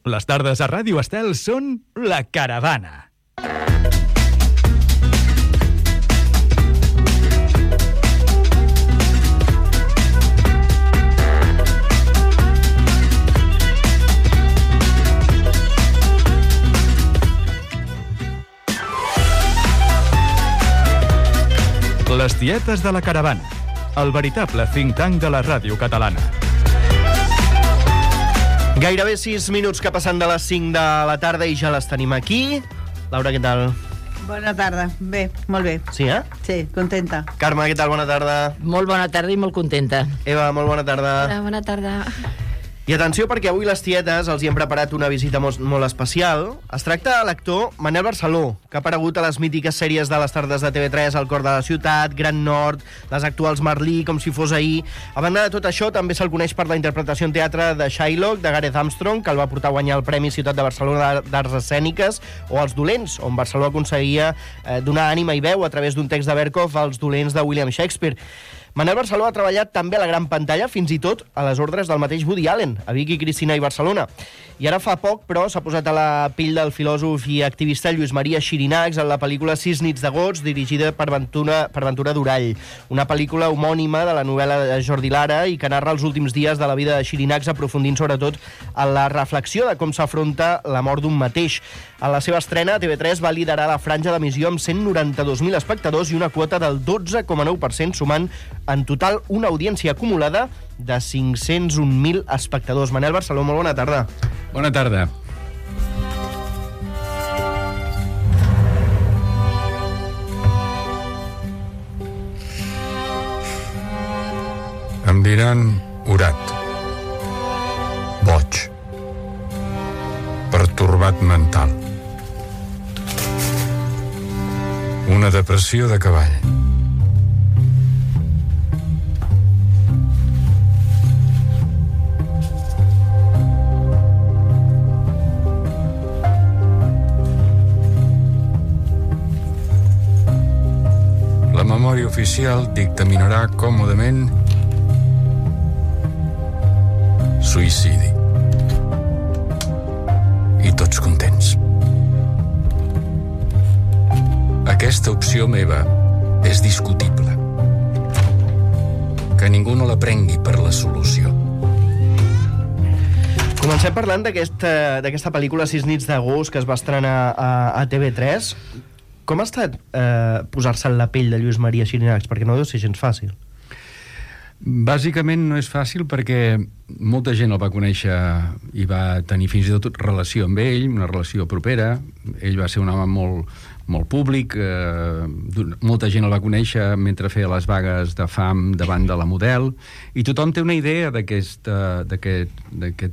Les tardes a Ràdio Estel són La Caravana. Les tietes de la Caravana, el veritable think tank de la ràdio catalana. Gairebé 6 minuts que passen de les 5 de la tarda i ja les tenim aquí. Laura, què tal? Bona tarda. Bé, molt bé. Sí, eh? Sí, contenta. Carme, què tal? Bona tarda. Molt bona tarda i molt contenta. Eva, molt bona tarda. Hola, bona tarda. I atenció, perquè avui les tietes els hi hem preparat una visita molt especial. Es tracta de l'actor Manel Barceló, que ha aparegut a les mítiques sèries de les tardes de TV3, El cor de la ciutat, Gran Nord, les actuals Merlí, Com si fos ahir. A banda de tot això, també se'l coneix per la interpretació en teatre de Shylock, de Gareth Armstrong, que el va portar a guanyar el Premi Ciutat de Barcelona d'Arts Escèniques, o Els dolents, on Barceló aconseguia donar ànima i veu a través d'un text de Berkhoff als dolents de William Shakespeare. Manel Barceló ha treballat també a la gran pantalla, fins i tot a les ordres del mateix Woody Allen, a Vic i Cristina i Barcelona. I ara fa poc, però, s'ha posat a la pell del filòsof i activista Lluís Maria Xirinacs en la pel·lícula 6 nits d'agost, dirigida per Ventura Durall, una pel·lícula homònima de la novel·la de Jordi Lara i que narra els últims dies de la vida de Xirinacs, aprofundint sobretot en la reflexió de com s'afronta la mort d'un mateix. A la seva estrena, TV3 va liderar la franja d'emissió amb 192.000 espectadors i una quota del 12,9%, sumant en total una audiència acumulada de 501.000 espectadors. Manel Barceló, molt bona tarda. Bona tarda. Em diran orat, boig, pertorbat mental, una depressió de cavall. La memòria oficial dictaminarà còmodament suïcidi. I tots contents. Aquesta opció meva és discutible. Que ningú no la prengui per la solució. Comencem parlant d'aquesta pel·lícula 6 nits d'agost que es va estrenar a TV3. Com ha estat posar-se en la pell de Lluís Maria Xirinacs? Perquè no deu ser gens fàcil. Bàsicament no és fàcil perquè molta gent el va conèixer i va tenir fins i tot relació amb ell, una relació propera. Ell va ser un home molt públic, molta gent el va conèixer mentre feia les vagues de fam davant de la Model, i tothom té una idea d'aquest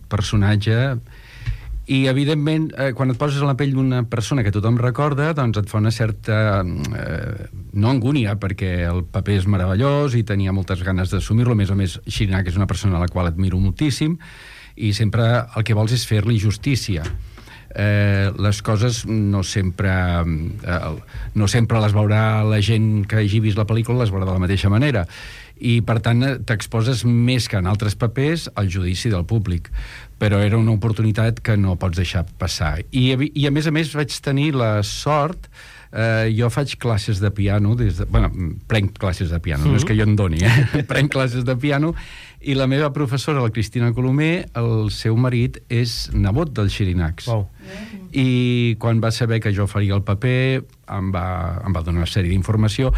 personatge. I, evidentment, quan et poses a la pell d'una persona que tothom recorda, doncs et fa una certa, no angúnia, perquè el paper és meravellós i tenia moltes ganes d'assumir-lo. A més, Xirinacs és una persona a la qual admiro moltíssim i sempre el que vols és fer-li justícia. Les coses no sempre les veurà la gent que hagi vist la pel·lícula, les veurà de la mateixa manera. I, per tant, t'exposes més que en altres papers al judici del públic. Però era una oportunitat que no pots deixar passar. I a més, vaig tenir la sort... jo faig classes de piano, prenc classes de piano, no és que jo en doni, prenc classes de piano, i la meva professora, la Cristina Colomer, el seu marit és nebot del Xirinacs. Wow. I quan va saber que jo faria el paper, em va donar una sèrie d'informació,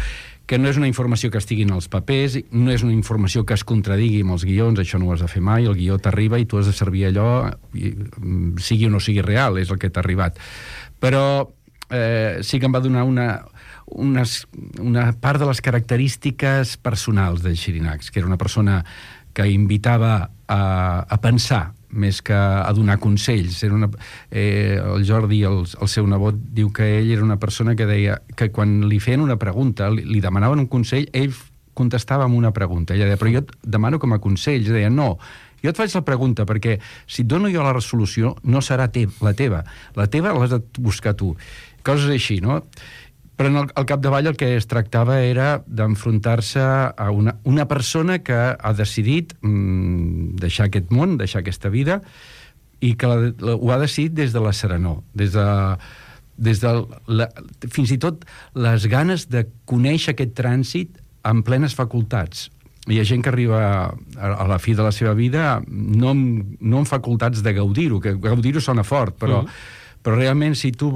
que no és una informació que estigui en els papers, no és una informació que es contradigui amb els guions, això no ho has de fer mai, el guió t'arriba i tu has de servir allò, sigui o no sigui real, és el que t'ha arribat. Però sí que em va donar una part de les característiques personals del Xirinacs, que era una persona que invitava a pensar més que a donar consells. El Jordi, el seu nebot, diu que ell era una persona que deia que quan li feien una pregunta, li demanaven un consell, ell contestava amb una pregunta. Ella deia, però jo et demano com a consell. Ell deia, no, jo et faig la pregunta perquè si et dono jo la resolució no serà la teva. La teva l'has de buscar tu. Coses així, no? Però al capdavall el que es tractava era d'enfrontar-se a una persona que ha decidit deixar aquest món, deixar aquesta vida, i que ho ha decidit des de la serenor, des de fins i tot les ganes de conèixer aquest trànsit amb plenes facultats. Hi ha gent que arriba a la fi de la seva vida no amb facultats de gaudir-ho, que gaudir-ho sona fort, però realment si tu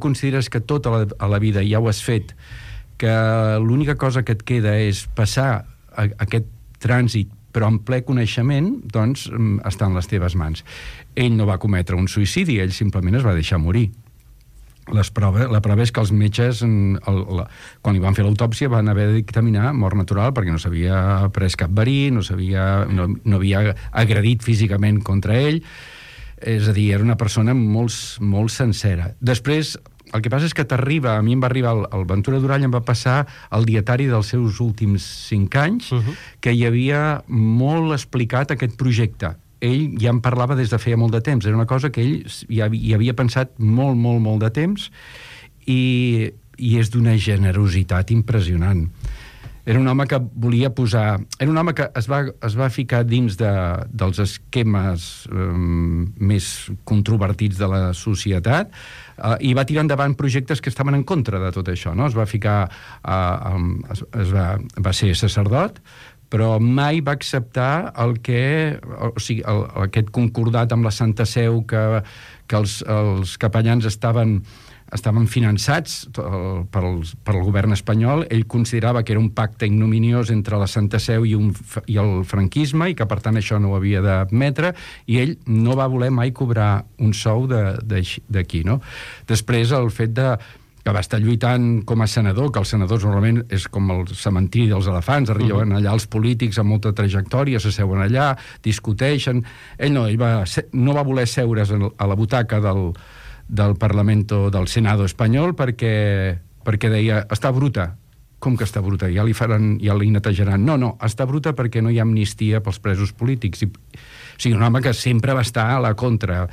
consideres que tot a la vida ja ho has fet, que l'única cosa que et queda és passar aquest trànsit però en ple coneixement, doncs està en les teves mans. Ell no va cometre un suïcidi, ell simplement es va deixar morir. La prova és que els metges, quan li van fer l'autòpsia, van haver de dictaminar mort natural perquè no s'havia pres cap verí, no havia agredit físicament contra ell. És a dir, era una persona molt sencera. Després, el que passa és que a mi em va arribar, el Ventura Durall em va passar el dietari dels seus últims 5 anys, que hi havia molt explicat aquest projecte. Ell ja en parlava des de feia molt de temps. Era una cosa que ell hi havia pensat molt de temps i és d'una generositat impressionant. Era un home que volia posar... Era un home que es va ficar dins dels esquemes més controvertits de la societat i va tirar endavant projectes que estaven en contra de tot això, no? Es va ficar... va ser sacerdot, però mai va acceptar aquest concordat amb la Santa Seu que els capellans estaven finançats pel govern espanyol. Ell considerava que era un pacte ignominiós entre la Santa Seu i el franquisme i que per tant això no ho havia d'admetre, i ell no va voler mai cobrar un sou d'aquí, no? Després el fet que va estar lluitant com a senador, que els senadors normalment és com el cementiri dels elefants, arriben allà els polítics amb molta trajectòria, s'asseuen allà, discuteixen. Ell no va voler seure's a la butaca del Parlamento, del Senado espanyol, perquè deia, està bruta. Com que està bruta? Ja li netejaran. No, està bruta perquè no hi ha amnistia pels presos polítics. O sigui, un home que sempre va estar a la contra.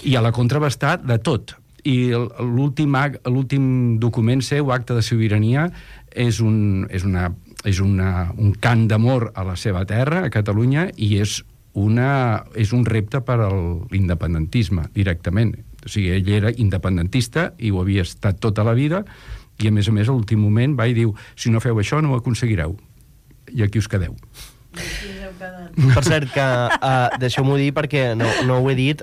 I a la contra va estar de tot. I l'últim document seu, Acte de Sobirania, és un cant d'amor a la seva terra, a Catalunya, i és un repte per a l'independentisme, directament. O sigui, ell era independentista i ho havia estat tota la vida, i a més, a l'últim moment va i diu, si no feu això no ho aconseguireu, i aquí us quedeu. Per cert, que deixeu-m'ho dir perquè no ho he dit,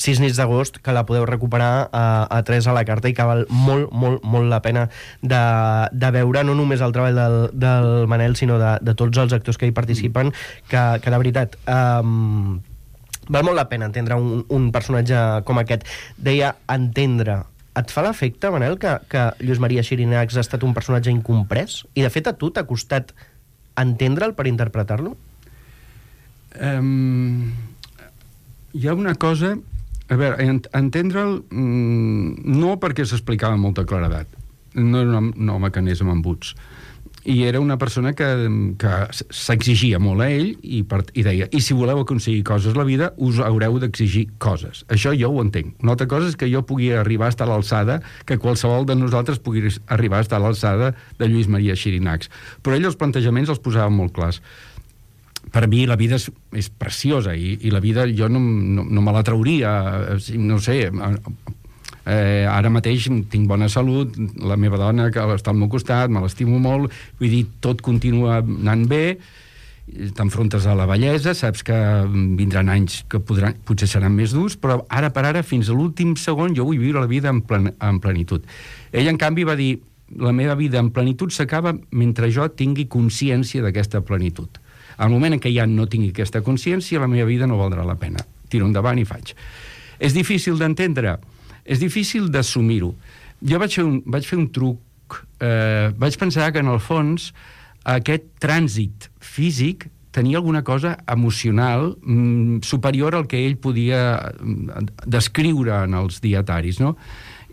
6 nits d'agost, que la podeu recuperar a 3 a la carta i que val molt la pena de veure, no només el treball del Manel, sinó de tots els actors que hi participen, que de veritat val molt la pena entendre un personatge com aquest. Deia entendre. Et fa l'efecte, Manel, que Lluís Maria Xirinacs ha estat un personatge incomprès? I de fet a tu t'ha costat entendre'l per interpretar-lo? Hi ha una cosa... A veure, entendre'l no perquè s'explicava amb molta claredat. No era un home que anés amb embuts. I era una persona que s'exigia molt a ell i deia, i si voleu aconseguir coses a la vida, us haureu d'exigir coses. Això jo ho entenc. Una altra cosa és que jo pugui arribar a estar a l'alçada, que qualsevol de nosaltres pugui arribar a estar a l'alçada de Lluís Maria Xirinacs. Però ell els plantejaments els posava molt clars. Per mi la vida és preciosa i la vida jo no me la trauria, no sé, ara mateix tinc bona salut, la meva dona que està al meu costat, me l'estimo molt, vull dir, tot continua anant bé, t'enfrontes a la vellesa, saps que vindran anys que potser seran més durs, però ara per ara, fins a l'últim segon, jo vull viure la vida en plenitud. Ell, en canvi, va dir, la meva vida en plenitud s'acaba mentre jo tingui consciència d'aquesta plenitud. Al moment en què ja no tingui aquesta consciència, la meva vida no valdrà la pena. Tiro endavant i faig. És difícil d'entendre, és difícil d'assumir-ho. Jo vaig fer un truc, vaig pensar que en el fons aquest trànsit físic tenia alguna cosa emocional superior al que ell podia descriure en els dietaris, no?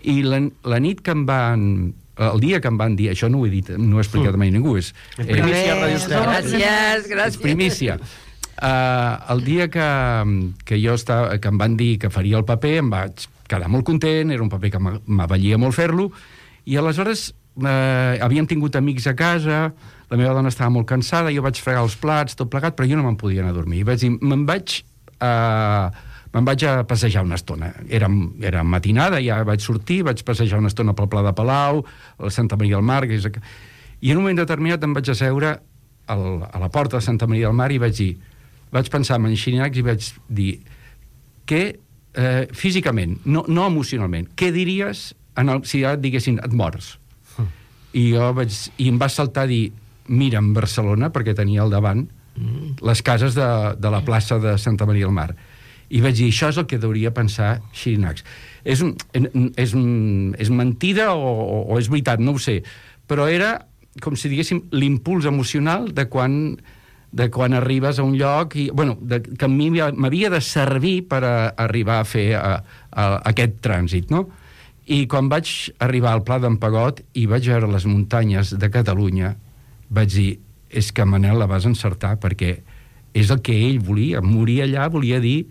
I la nit que em van... El dia que em van dir, això no ho he dit, no ho he explicat mai a ningú, és primícia a Radio Estel. Gràcies. És primícia. El dia que em van dir que faria el paper, em vaig quedar molt content, era un paper que m'avallia molt fer-lo, i aleshores havíem tingut amics a casa, la meva dona estava molt cansada, jo vaig fregar els plats, tot plegat, però jo no me'n podia anar a dormir. I vaig dir, me'n vaig me'n vaig a passejar una estona. Era matinada, ja vaig sortir, vaig passejar una estona pel Pla de Palau, a Santa Maria del Mar, i en un moment determinat em vaig asseure a la porta de Santa Maria del Mar i vaig pensar en Xirinacs i vaig dir físicament, no emocionalment, què diries si ara et diguessin et mors? I em va saltar a dir mira'm Barcelona, perquè tenia al davant les cases de la plaça de Santa Maria del Mar. I vaig dir, això és el que hauria pensar Xirinacs. És mentida o és veritat, no ho sé, però era com si diguéssim l'impuls emocional de quan arribes a un lloc que a mi m'havia de servir per arribar a fer aquest trànsit, no? I quan vaig arribar al Pla d'en Pegot i vaig veure les muntanyes de Catalunya, vaig dir, és que Manel la vas encertar, perquè és el que ell volia. Morir allà volia dir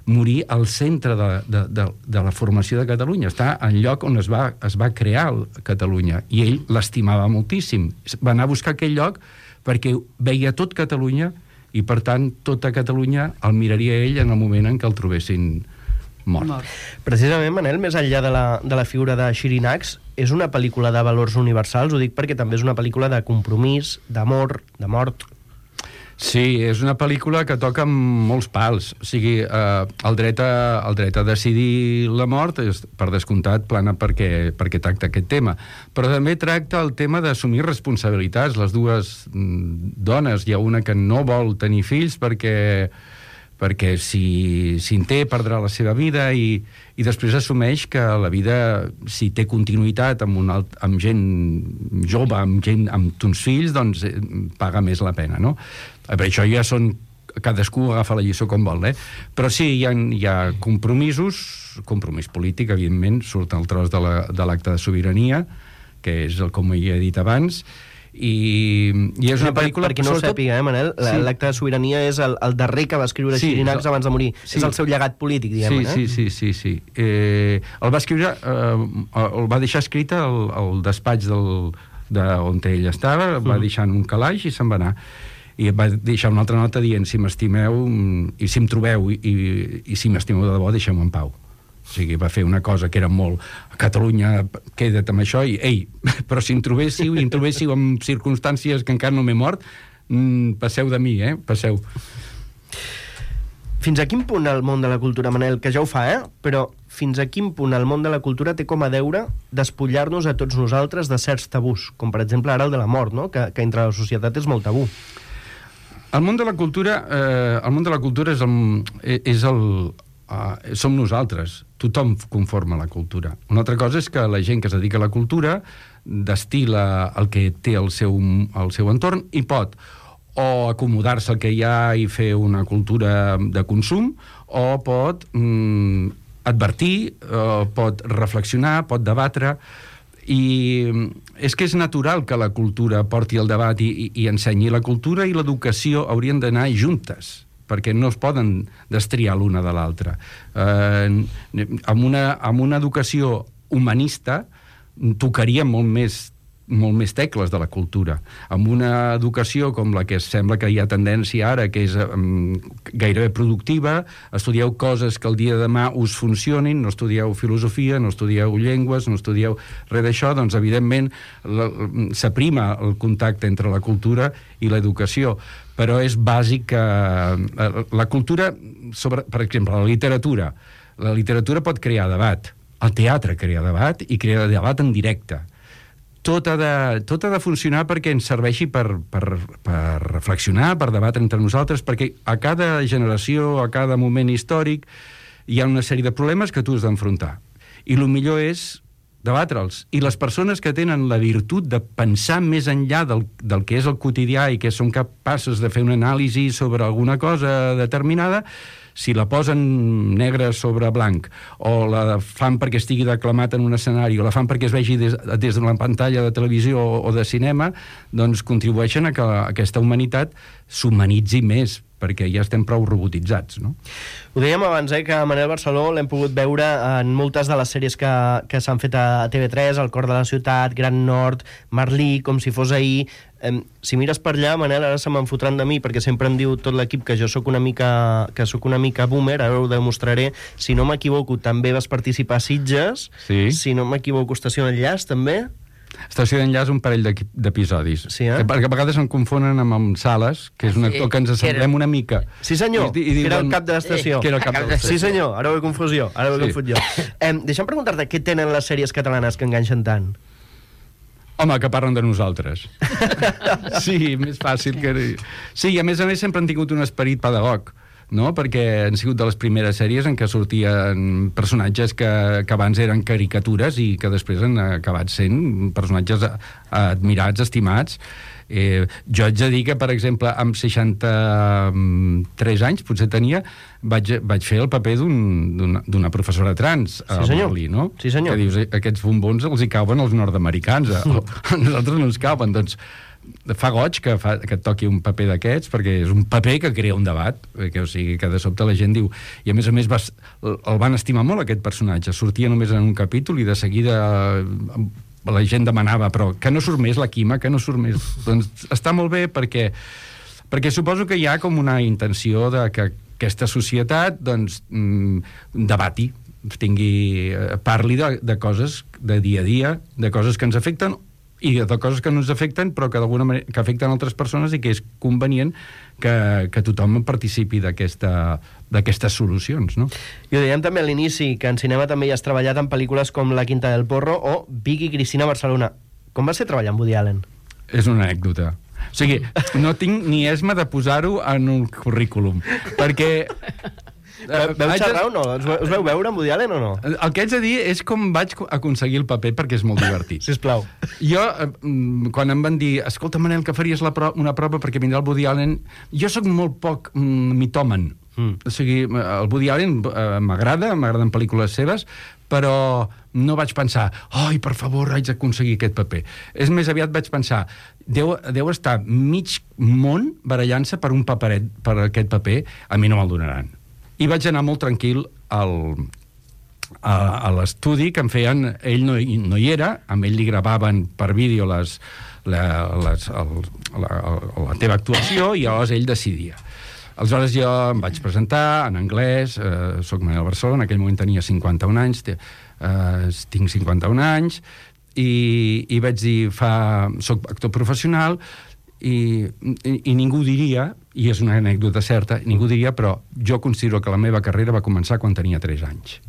morir al centre de la formació de Catalunya, està en lloc on es va crear Catalunya, i ell l'estimava moltíssim. Va anar a buscar aquell lloc perquè veia tot Catalunya i, per tant, tota Catalunya el miraria ell en el moment en què el trobessin mort. Precisament, Manel, més enllà de la figura de Xirinacs, és una pel·lícula de valors universals, ho dic perquè també és una pel·lícula de compromís, d'amor, de mort. Sí, és una pel·lícula que toca molts pals. O sigui, el dret a decidir la mort, per descomptat, plana perquè tracta aquest tema. Però també tracta el tema d'assumir responsabilitats. Les dues dones, hi ha una que no vol tenir fills perquè si en té perdrà la seva vida i després assumeix que la vida, si té continuïtat amb gent jove, amb uns fills, doncs paga més la pena, no? Per això ja cadascú agafa la lliçó com vol, però sí, hi ha compromís polític, evidentment, surt el tros de l'acte de sobirania, que és com ja he dit abans, i és una pel·lícula... Per qui no ho sàpiga, Manel, l'acte de sobirania és el darrer que va escriure Xirinacs abans de morir. És el seu llegat polític, diguem. Sí. El va escriure, el va deixar escrit al despatx on ell estava, va deixar en un calaix i se'n va anar. I va deixar una altra nota dient, si m'estimeu i si em trobeu i si m'estimeu de debò, deixeu-me en pau. O sigui, va fer una cosa que era molt... Catalunya, queda't amb això, i ei, però si em trobéssiu en circumstàncies que encara no m'he mort, passeu de mi, passeu. Fins a quin punt el món de la cultura, Manel, que ja ho fa, però fins a quin punt el món de la cultura té com a deure despullar-nos a tots nosaltres de certs tabús, com per exemple ara el de la mort, no? que entre la societat és molt tabú. El món de la cultura som nosaltres, tothom conforma la cultura. Una altra cosa és que la gent que es dedica a la cultura destila el que té al seu entorn i pot o acomodar-se al que hi ha i fer una cultura de consum, o pot advertir, pot reflexionar, pot debatre, i és que és natural que la cultura porti el debat i ensenyi. La cultura i l'educació haurien d'anar juntes, perquè no es poden destriar l'una de l'altra. Amb una educació humanista tocaria molt més tecles de la cultura. Amb una educació com la que sembla que hi ha tendència ara, que és gairebé productiva, estudieu coses que el dia de demà us funcionin, no estudieu filosofia, no estudieu llengües, no estudieu res d'això, doncs evidentment s'aprima el contacte entre la cultura i l'educació. Però és bàsic que la cultura, per exemple, la literatura pot crear debat, el teatre crea debat i crea debat en directe. Tot ha de funcionar perquè ens serveixi per reflexionar, per debatre entre nosaltres, perquè a cada generació, a cada moment històric, hi ha una sèrie de problemes que tu has d'enfrontar. I el millor és debatre'ls. I les persones que tenen la virtut de pensar més enllà del que és el quotidià i que són capaces de fer una anàlisi sobre alguna cosa determinada, si la posen negre sobre blanc, o la fan perquè estigui declamat en un escenari, o la fan perquè es vegi des de la pantalla de televisió o de cinema, doncs contribueixen a que aquesta humanitat s'humanitzi més, perquè ja estem prou robotitzats, no? Ho dèiem abans, que Manel Barceló l'hem pogut veure en moltes de les sèries que s'han fet a TV3, El cor de la ciutat, Gran Nord, Merlí, Com si fos ahir. Si mires per allà, Manel, ara se me'n fotran de mi, perquè sempre em diu tot l'equip que jo sóc una mica boomer, ara ho demostraré. Si no m'equivoco, també vas participar a Sitges. Sí. Si no m'equivoco, Estació d'Enllaç, també. Estació d'Enllaç, un parell d'episodis. Sí, Perquè a vegades em confonen amb Sales, que és un actor que ens assemblem una mica. Sí, senyor, que era el cap de l'estació. Que era el cap de l'estació. Sí, senyor, ara ho he confós jo. Deixa'm preguntar-te què tenen les sèries catalanes que enganxen tant? Home, que parlen de nosaltres. Sí, més fàcil que... Sí, i a més sempre han tingut un esperit pedagog, no? Perquè han sigut de les primeres sèries en què sortien personatges que abans eren caricatures i que després han acabat sent personatges admirats, estimats. Jo haig de dir que, per exemple, amb 63 anys, potser tenia, vaig fer el paper d'una professora trans a Berlí, no? Sí, senyor. Que dius, aquests bombons els hi cauen als nord-americans, a nosaltres no ens cauen, doncs fa goig que et toqui un paper d'aquests, perquè és un paper que crea un debat, o sigui, que de sobte la gent diu, i a més el van estimar molt aquest personatge, sortia només en un capítol i de seguida la gent demanava, però que no surt més la Quima, que no surt més. Doncs està molt bé perquè suposo que hi ha com una intenció de que aquesta societat doncs debati, parli de coses de dia a dia, de coses que ens afecten i de coses que no ens afecten però que d'alguna manera que afecten altres persones i que és convenient que tothom participi d'aquestes solucions, no? I ho dèiem també a l'inici, que en cinema també hi has treballat en pel·lícules com La Quinta del Porro o Vic i Cristina a Barcelona. Com va ser treballar amb Woody Allen? És una anècdota. O sigui, no tinc ni esma de posar-ho en un currículum, perquè... Veu xerrar o no? Us veu veure amb Woody Allen o no? El que haig de dir és com vaig aconseguir el paper perquè és molt divertit. Sisplau. Jo, quan em van dir escolta, Manel, que faries una prova perquè vindrà el Woody Allen, jo sóc molt poc mitòman. O sigui, el Woody Allen m'agraden pel·lícules seves, però no vaig pensar ai, per favor, haig d'aconseguir aquest paper. És més aviat vaig pensar deu estar mig món barallant-se per un paperet, per aquest paper, a mi no me'l donaran. I vaig anar molt tranquil a l'estudi que em feien, ell no hi era, amb ell li gravaven per vídeo la teva actuació i llavors ell decidia. Aleshores jo em vaig presentar en anglès, soc Manel Barceló, en aquell moment tenia 51 anys, tinc 51 anys, i vaig dir, soc actor professional, i ningú diria, i és una anècdota certa, ningú diria, però jo considero que la meva carrera va començar quan tenia 3 anys.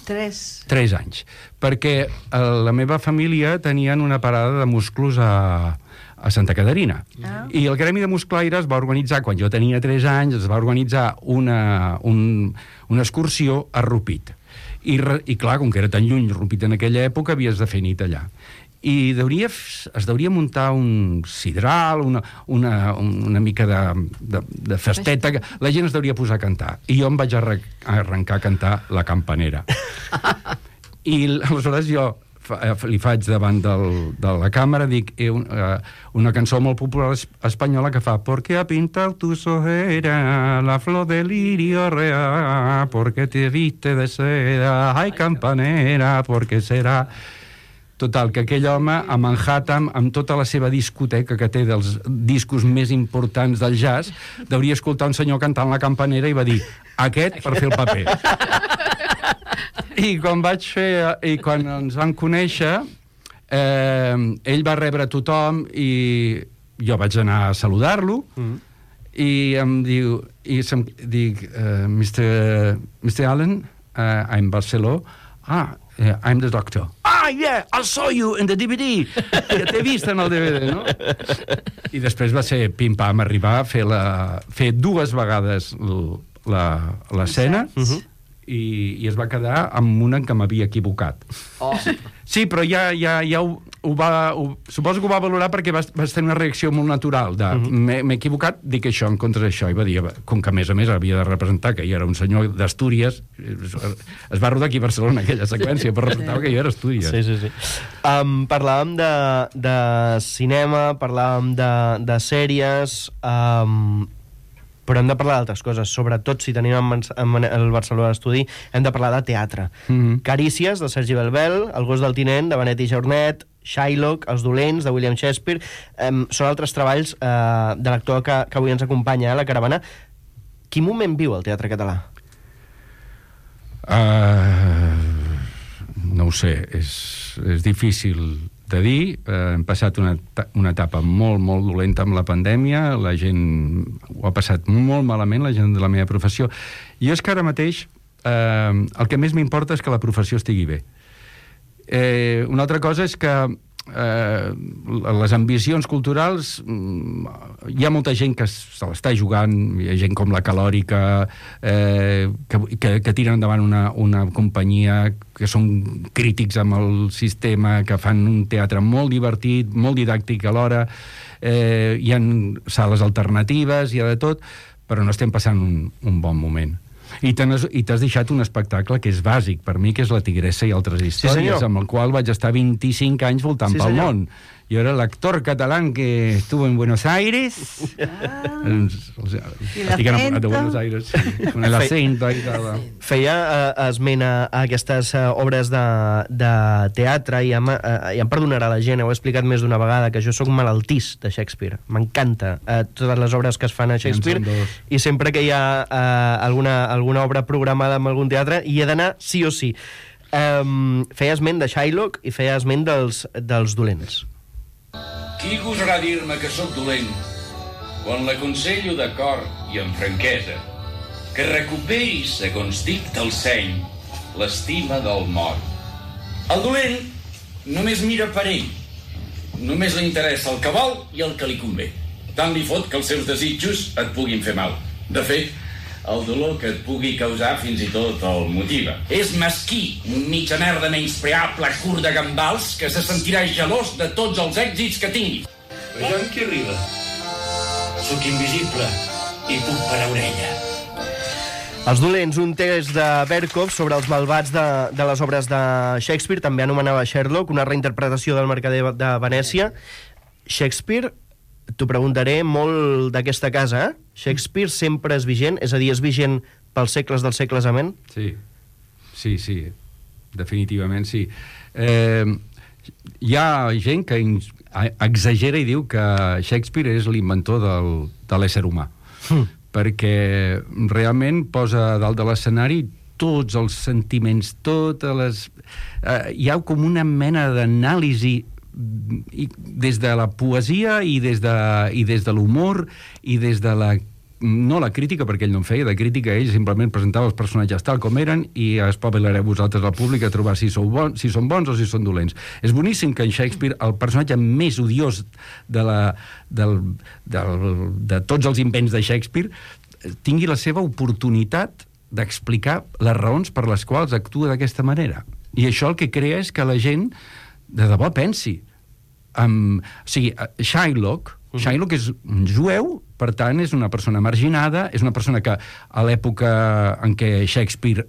3 anys. Perquè la meva família tenien una parada de musclos a Santa Caterina. I el Gremi de Musclaires va organitzar, quan jo tenia 3 anys, es va organitzar una excursió a Rupit. I clar, com que era tan lluny Rupit en aquella època, havies de fer nit allà. I es deuria muntar un sidral, una mica de festeta, la gent es deuria posar a cantar. I jo em vaig arrencar a cantar La Campanera. I aleshores jo li faig davant de la càmera, dic una cançó molt popular espanyola que fa Porque ha pintado tus ojeras la flor del lirio real, porque te viste de seda, ay campanera, porque serà... Total, que aquell home a Manhattan, amb tota la seva discoteca que té dels discos més importants del jazz, deuria escoltar un senyor cantant La Campanera i va dir, aquest per fer el paper. I quan ens vam conèixer, ell va rebre tothom i jo vaig anar a saludar-lo i em diu, Mr. Allen, I'm Barceló, I'm the doctor. Yeah, I saw you in the DVD. Ja t'he vist en el DVD, no? I després va ser pim-pam arribar a fer 2 vegades l'escena i es va quedar amb una en què m'havia equivocat. Sí, però ja suposo que ho va valorar perquè vas tenir una reacció molt natural de m'he equivocat, dic això en contra d'això, i va dir, com que a més havia de representar que jo era un senyor d'Astúries, es va rodar aquí a Barcelona aquella seqüència, però representava que jo era Astúries. Sí. Parlàvem de cinema, parlàvem de sèries, però hem de parlar d'altres coses, sobretot si tenim el Barcelona d'Estudi, hem de parlar de teatre. Carícies, de Sergi Belbel, El gos del tinent, de Benet i Jornet, Shylock, Els dolents, de William Shakespeare. Són altres treballs de l'actor que avui ens acompanya a la caravana. Quin moment viu el teatre català? No ho sé, és difícil de dir. Hem passat una etapa molt, molt dolenta amb la pandèmia, la gent ho ha passat molt malament, la gent de la meva professió. Jo és que ara mateix el que més m'importa és que la professió estigui bé. Una altra cosa és que les ambicions culturals, hi ha molta gent que se l'està jugant, hi ha gent com la Calòrica que tiren endavant una companyia, que són crítics amb el sistema, que fan un teatre molt divertit, molt didàctic alhora, hi ha sales alternatives, hi ha de tot, però no estem passant un bon moment. I t'has deixat un espectacle que és bàsic per mi, que és La tigressa i altres històries, sí, amb el qual vaig estar 25 anys voltant pel món. Jo era l'actor català que estuvo en Buenos Aires. Estic enamorat de Buenos Aires, con el acento. Feia esment a aquestes obres de teatre, i em perdonarà la gent, ho he explicat més d'una vegada, que jo sóc malaltís de Shakespeare. M'encanta totes les obres que es fan a Shakespeare, i sempre que hi ha alguna obra programada en algun teatre hi he d'anar sí o sí. Feia esment de Shylock i feia esment dels dolents. Qui gosarà dir-me que sóc dolent quan l'aconsello de cor i amb franquesa que recuperi, segons dicta el seny, l'estima del mort? El dolent només mira per ell, només li interessa el que vol i el que li convé. Tant li fot que els seus desitjos et puguin fer mal. De fet, el dolor que et pugui causar fins i tot el motiva. És mesquí, un mitja merda menyspreable curt de gambals que se sentirà gelós de tots els èxits que tingui. Vejam qui arriba. Sóc invisible i puc parar orella. Els dolents, un text de Berkov sobre els malvats de les obres de Shakespeare, també anomenava Sherlock, una reinterpretació del Mercader de Venècia. Shakespeare, t'ho preguntaré, molt d'aquesta casa, eh? Shakespeare sempre és vigent? És a dir, és vigent pels segles dels segles, amén? Sí, definitivament sí. Hi ha gent que exagera i diu que Shakespeare és l'inventor de l'ésser humà, perquè realment posa dalt de l'escenari tots els sentiments, totes les... hi ha com una mena d'anàlisi des de la poesia i des de l'humor i des de no la crítica, perquè ell no en feia de crítica, ell simplement presentava els personatges tal com eren i espavilareu vosaltres al públic a trobar si són bons o si són dolents. És boníssim que en Shakespeare el personatge més odiós de tots els invents de Shakespeare tingui la seva oportunitat d'explicar les raons per les quals actua d'aquesta manera. I això el que crea és que la gent de debò pensi. O sigui, Shylock és un jueu, per tant és una persona marginada, és una persona que a l'època en què Shakespeare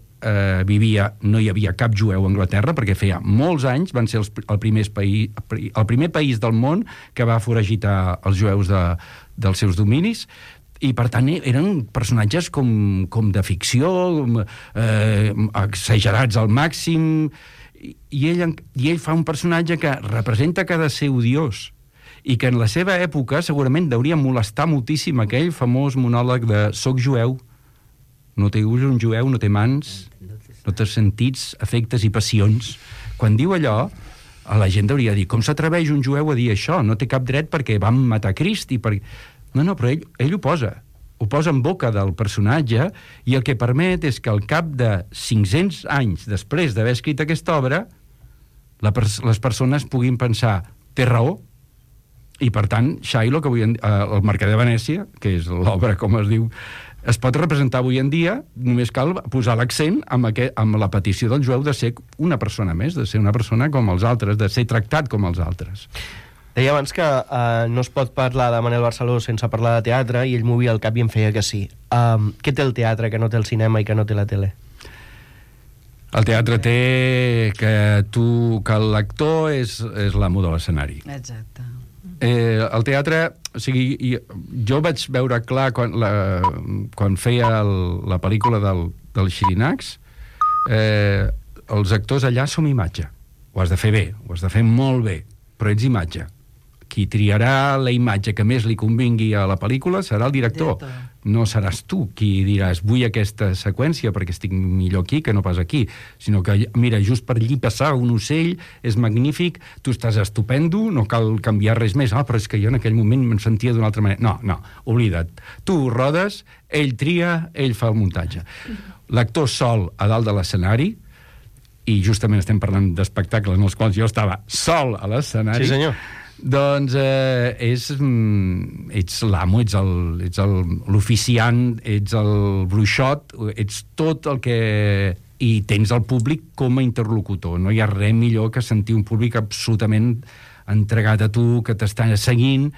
vivia no hi havia cap jueu a Anglaterra, perquè feia molts anys van ser el primer país del món que va foragitar els jueus dels seus dominis, i per tant eren personatges com de ficció, exagerats al màxim, i ell fa un personatge que representa que ha de ser odiós i que en la seva època segurament hauria molestar moltíssim aquell famós monòleg de «Soc jueu, no té ulls un jueu, no té mans, no té sentits, afectes i passions». Quan diu allò, a la gent hauria de dir «Com s'atreveix un jueu a dir això? No té cap dret perquè van matar Crist». No, però ell ho posa en boca del personatge, i el que permet és que al cap de 500 anys després d'haver escrit aquesta obra les persones puguin pensar «té raó», i per tant Shylock, el Mercader de Venècia, que és l'obra com es diu, es pot representar avui en dia, només cal posar l'accent amb la petició del jueu de ser una persona més, de ser una persona com els altres, de ser tractat com els altres. Deia abans que no es pot parlar de Manel Barceló sense parlar de teatre, i ell movia el cap i em feia que sí. Què té el teatre que no té el cinema i que no té la tele? El teatre té que l'actor és l'amo de l'escenari. Exacte. El teatre, o sigui, jo vaig veure clar quan feia la pel·lícula del Xirinacs, els actors allà som imatge. Ho has de fer bé, ho has de fer molt bé. però ets imatge. Qui triarà la imatge que més li convingui a la pel·lícula serà el director. No seràs tu qui diràs vull aquesta seqüència perquè estic millor aquí que no pas aquí, sinó que, mira, just per allí passar un ocell és magnífic, tu estàs estupendo, no cal canviar res més. Però és que jo en aquell moment me'n sentia d'una altra manera. No, oblida't. Tu ho rodes, ell tria, ell fa el muntatge. L'actor sol a dalt de l'escenari, i justament estem parlant d'espectacles en els quals jo estava sol a l'escenari. Sí, senyor. Doncs ets l'amo, ets l'oficiant, ets el bruixot, ets tot el que... I tens el públic com a interlocutor. No hi ha res millor que sentir un públic absolutament entregat a tu, que t'està seguint,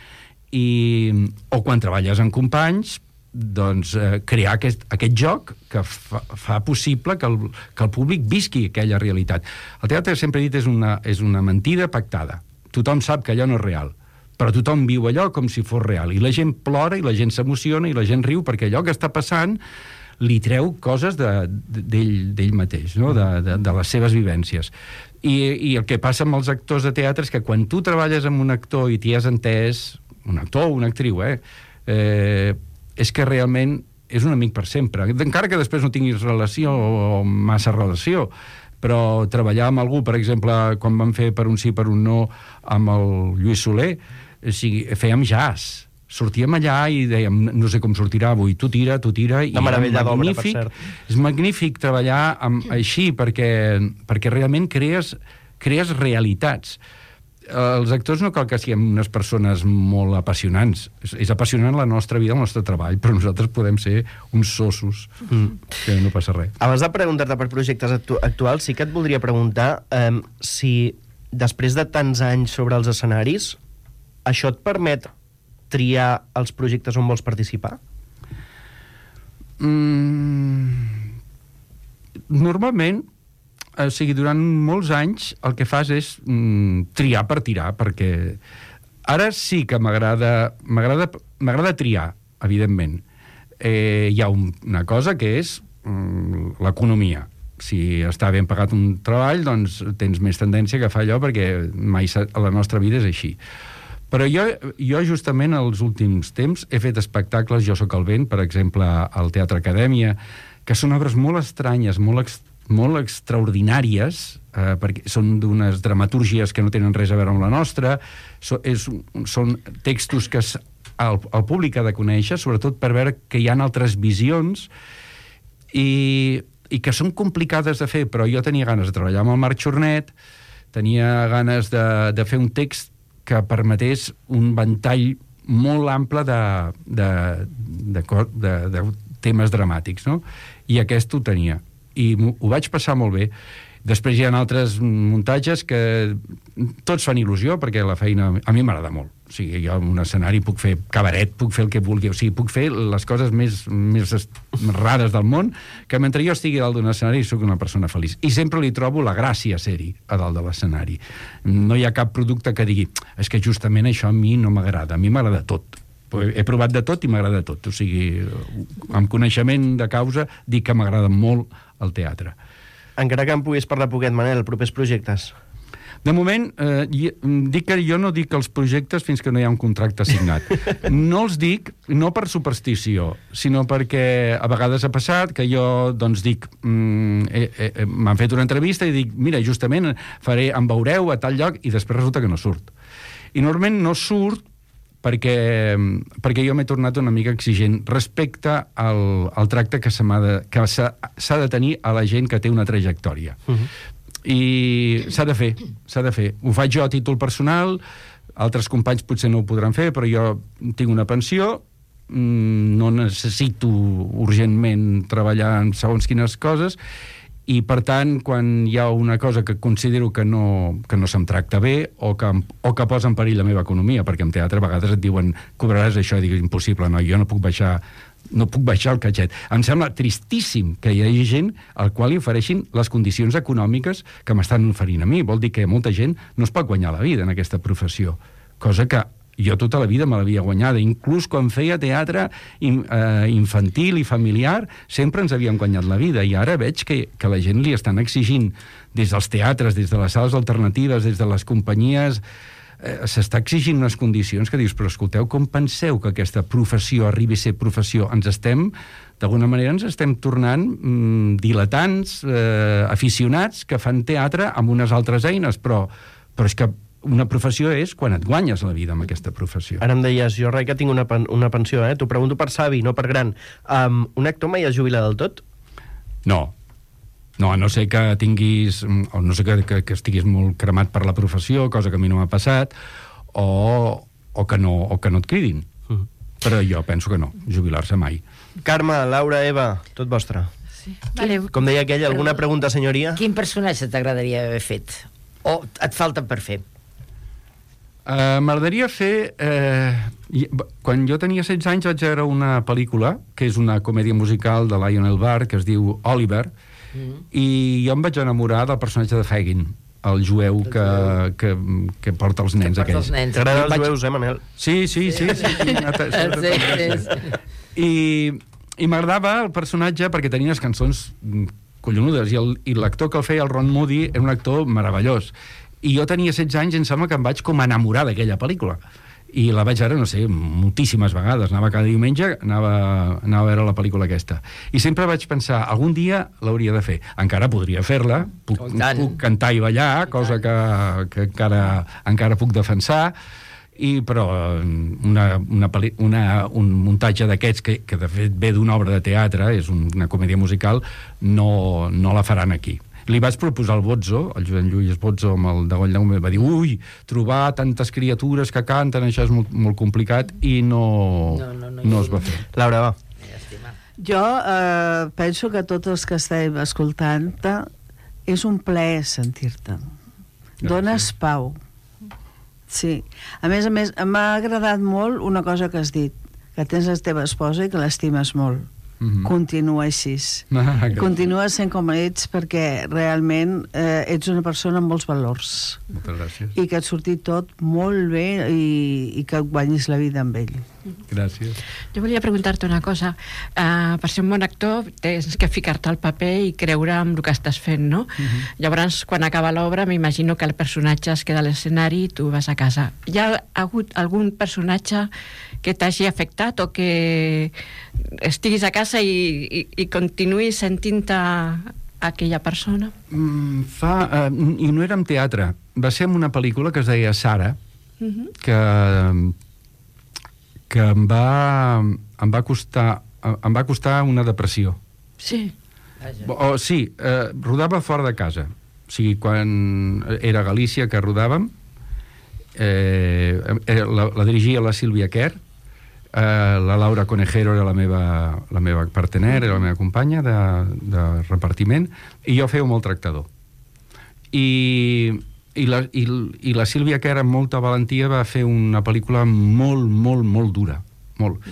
o quan treballes amb companys, doncs crear aquest joc que fa possible que el públic visqui aquella realitat. El teatre, sempre he dit, és una mentida pactada. Tothom sap que allò no és real, però tothom viu allò com si fos real, i la gent plora, i la gent s'emociona, i la gent riu, perquè allò que està passant li treu coses d'ell mateix, no? de les seves vivències. I el que passa amb els actors de teatre és que quan tu treballes amb un actor i t'hi has entès, un actor o una actriu, és que realment és un amic per sempre, encara que després no tinguis relació o massa relació. Però treballar amb algú, per exemple, quan vam fer Per un sí, per un no, amb el Lluís Soler, fèiem jazz. Sortíem allà i dèiem, no sé com sortirà avui, tu tira, i una meravella d'obra, per cert. És magnífic treballar així, perquè realment crees realitats. Els actors no cal que siguem unes persones molt apassionants. És apassionant la nostra vida, el nostre treball, però nosaltres podem ser uns sossos, que no passa res. Abans de preguntar-te per projectes actuals, sí que et voldria preguntar si després de tants anys sobre els escenaris, això et permet triar els projectes on vols participar? Normalment, durant molts anys el que fas és triar per tirar, perquè ara sí que m'agrada triar, evidentment. Hi ha una cosa que és l'economia. Si està ben pagat un treball, doncs tens més tendència a agafar allò, perquè mai la nostra vida és així. Però jo justament els últims temps he fet espectacles, Jo soc el vent, per exemple, al Teatre Acadèmia, que són obres molt estranyes, molt extraordinàries, perquè són d'unes dramatúrgies que no tenen res a veure amb la nostra, són textos que el públic ha de conèixer, sobretot per veure que hi ha altres visions, i que són complicades de fer, però jo tenia ganes de treballar amb el Marc Xornet, tenia ganes de fer un text que permetés un ventall molt ample de temes dramàtics, no? I aquest ho tenia. I ho vaig passar molt bé. Després hi ha altres muntatges que tots fan il·lusió, perquè la feina a mi m'agrada molt. O sigui, jo en un escenari puc fer cabaret, puc fer el que vulgui, o sigui, puc fer les coses més rares del món, que mentre jo estigui dalt d'un escenari soc una persona feliç. I sempre li trobo la gràcia a ser-hi a dalt de l'escenari. No hi ha cap producte que digui és que justament això a mi no m'agrada, a mi m'agrada tot. He provat de tot i m'agrada tot. O sigui, amb coneixement de causa, dic que m'agrada molt el teatre. Encara que em puguis parlar poquet, Manel, propers projectes? De moment, dic que jo no dic els projectes fins que no hi ha un contracte signat. No els dic, no per superstició, sinó perquè a vegades ha passat que jo, doncs, dic, m'han fet una entrevista i dic, mira, justament em veureu a tal lloc, i després resulta que no surt. I normalment no surt perquè jo m'he tornat una mica exigent respecte al tracte que s'ha de tenir a la gent que té una trajectòria. I s'ha de fer. Ho faig jo a títol personal, altres companys potser no ho podran fer, però jo tinc una pensió, no necessito urgentment treballar en segons quines coses, i per tant, quan hi ha una cosa que considero que no se'm tracta bé o que posa en perill la meva economia, perquè en teatre a vegades et diuen cobraràs això, i dic, impossible, no, jo no puc baixar el catxet. Em sembla tristíssim que hi hagi gent al qual li ofereixin les condicions econòmiques que m'estan oferint a mi. Vol dir que molta gent no es pot guanyar la vida en aquesta professió, cosa que jo tota la vida me l'havia guanyada. Inclús quan feia teatre infantil i familiar, sempre ens havíem guanyat la vida, i ara veig que la gent li estan exigint des dels teatres, des de les sales alternatives, des de les companyies s'està exigint unes condicions que dius, però escolteu, com penseu que aquesta professió arribi a ser professió? D'alguna manera ens estem tornant diletants, aficionats, que fan teatre amb unes altres eines, però és que una professió és quan et guanyes la vida amb aquesta professió. Ara em deies, jo rai que tinc una pensió, T'ho pregunto per savi, no per gran. Un actor mai es jubila del tot? No, a no ser que tinguis, o no sé que estiguis molt cremat per la professió, cosa que a mi no m'ha passat, o que no et cridin. Però jo penso que no, jubilar-se mai. Carme, Laura, Eva, tot vostre. Sí. Vale. Com deia aquella, alguna pregunta, senyoria? Quin personatge t'agradaria haver fet? O et falta per fer? M'agradaria fer... quan jo tenia 16 anys vaig veure una pel·lícula, que és una comèdia musical de Lionel Barr, que es diu Oliver, i jo em vaig enamorar del personatge de Fagin, el jueu que porta els nens aquells. T'agraden els jueus, Manel? Sí. I m'agradava el personatge perquè tenia unes cançons collonudes, i l'actor que el feia, el Ron Moody, era un actor meravellós. I jo tenia 16 anys i em sembla que em vaig com enamorar d'aquella pel·lícula. I la vaig veure, no sé, moltíssimes vegades. Anava cada diumenge, anava a veure la pel·lícula aquesta. I sempre vaig pensar, algun dia l'hauria de fer. Encara podria fer-la, puc cantar i ballar, cosa que encara puc defensar, però un muntatge d'aquests, que de fet ve d'una obra de teatre, és una comèdia musical, no la faran aquí. Li vaig proposar al Bozzo, el Joan Lluís Bozzo, amb el de Goll va dir, trobar tantes criatures que canten, això és molt complicat, i no es va fer. Laura, va. Jo penso que tots els que estem escoltant-te és un plaer sentir-te. Dones pau. Sí. A més, m'ha agradat molt una cosa que has dit, que tens la teva esposa i que l'estimes molt. Continua així. Continua sent com ets, perquè realment ets una persona amb molts valors. Moltes gràcies. I que et surti tot molt bé i que et guanyis la vida amb ell. Gràcies. Jo volia preguntar-te una cosa. Per ser un bon actor tens que ficar-te al paper i creure en el que estàs fent, no? Llavors, quan acaba l'obra, m'imagino que el personatge es queda a l'escenari i tu vas a casa. Hi ha hagut algun personatge que t'hagi afectat o que estiguis a casa i continuïs sentint-te aquella persona? I no era en teatre. Va ser en una pel·lícula que es deia Sara, que em va costar una depressió. Sí. Rodava fora de casa. O sigui, quan era a Galícia que rodàvem, la dirigia la Sílvia Kerr, la Laura Conejero era la meva partener, era la meva companya de repartiment, i jo feia un maltractador. I la Sílvia Kerr, amb molta valentia, va fer una pel·lícula molt, molt, molt dura. Molt.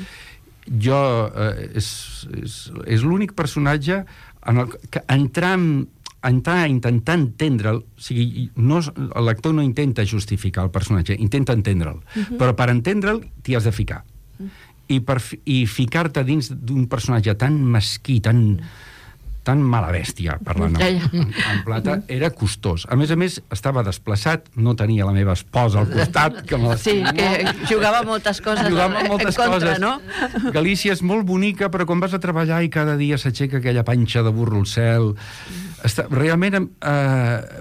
Jo és l'únic personatge en el que entrar a intentar entendre'l, o sigui, l'actor no intenta justificar el personatge, intenta entendre'l, però per entendre'l t'hi has de ficar. I ficar-te dins d'un personatge tan mesquí, tan mala bèstia, parlant en plata, era costós. A més, estava desplaçat, no tenia la meva esposa al costat, que me sí, que jugava moltes coses en contra, no? Galícia és molt bonica, però quan vas a treballar i cada dia s'aixeca aquella panxa de burro al cel... Realment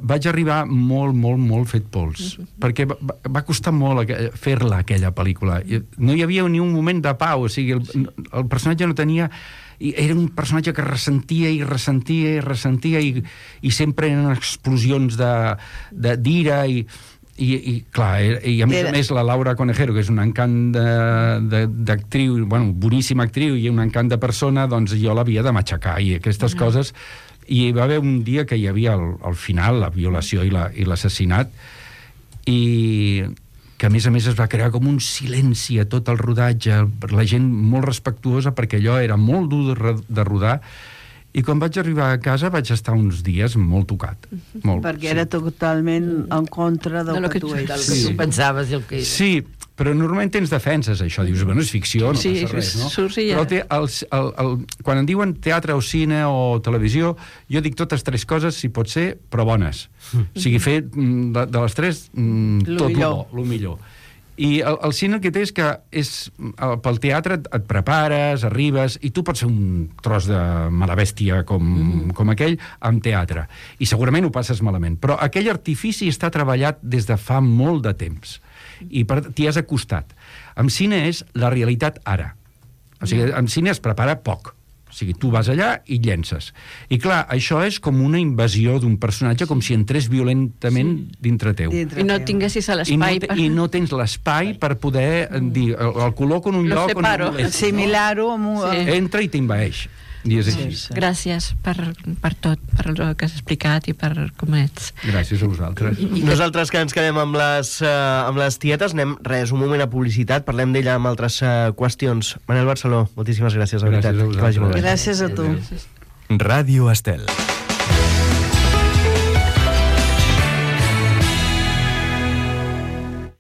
vaig arribar molt, molt, molt fet pols, perquè va costar molt fer-la, aquella pel·lícula. No hi havia ni un moment de pau, o sigui, el personatge no tenia... Era un personatge que ressentia i sempre eren explosions d'ira i clar, i a més la Laura Conejero, que és un encant d'actriu, boníssima actriu i un encant de persona, doncs jo l'havia de matxacar i aquestes coses. I hi va haver un dia que hi havia al final la violació i l'assassinat, i que a més es va crear com un silenci a tot el rodatge, la gent molt respectuosa, perquè allò era molt dur de rodar, i quan vaig arribar a casa vaig estar uns dies molt tocat. Molt, perquè era totalment en contra del que tu eres. Del que tu pensaves i el que era. Sí, Però normalment tens defenses, això. Dius, bueno, és ficció, no Sí, passa res, no? surts i ja. Però quan en diuen teatre o cine o televisió, jo dic totes tres coses, si pot ser, però bones. O sigui, fer de les tres tot lo millor. I el cine el que té és que pel teatre et prepares, arribes, i tu pots ser un tros de mala bèstia com aquell amb teatre. I segurament ho passes malament. Però aquell artifici està treballat des de fa molt de temps. I t'hi has acostat. Amb cine és la realitat ara. O sigui, amb cine es prepara poc. O sigui, tu vas allà i llences. I clar, això és com una invasió d'un personatge, com si entrés violentament dintre teu. I no tinguessis l'espai. I no tens l'espai per poder dir, el col·loco en un lloc on... Assimilar-ho amb un... Entra i t'invaeix. I és així. Gràcies per tot, per el que has explicat i per com ets. Gràcies a vosaltres. Nosaltres que ens quedem amb les tietes, anem un moment a publicitat, parlem d'ella amb altres qüestions. Manel Barceló, moltíssimes gràcies, de veritat. Gràcies a vosaltres. Gràcies a tu. Ràdio Estel.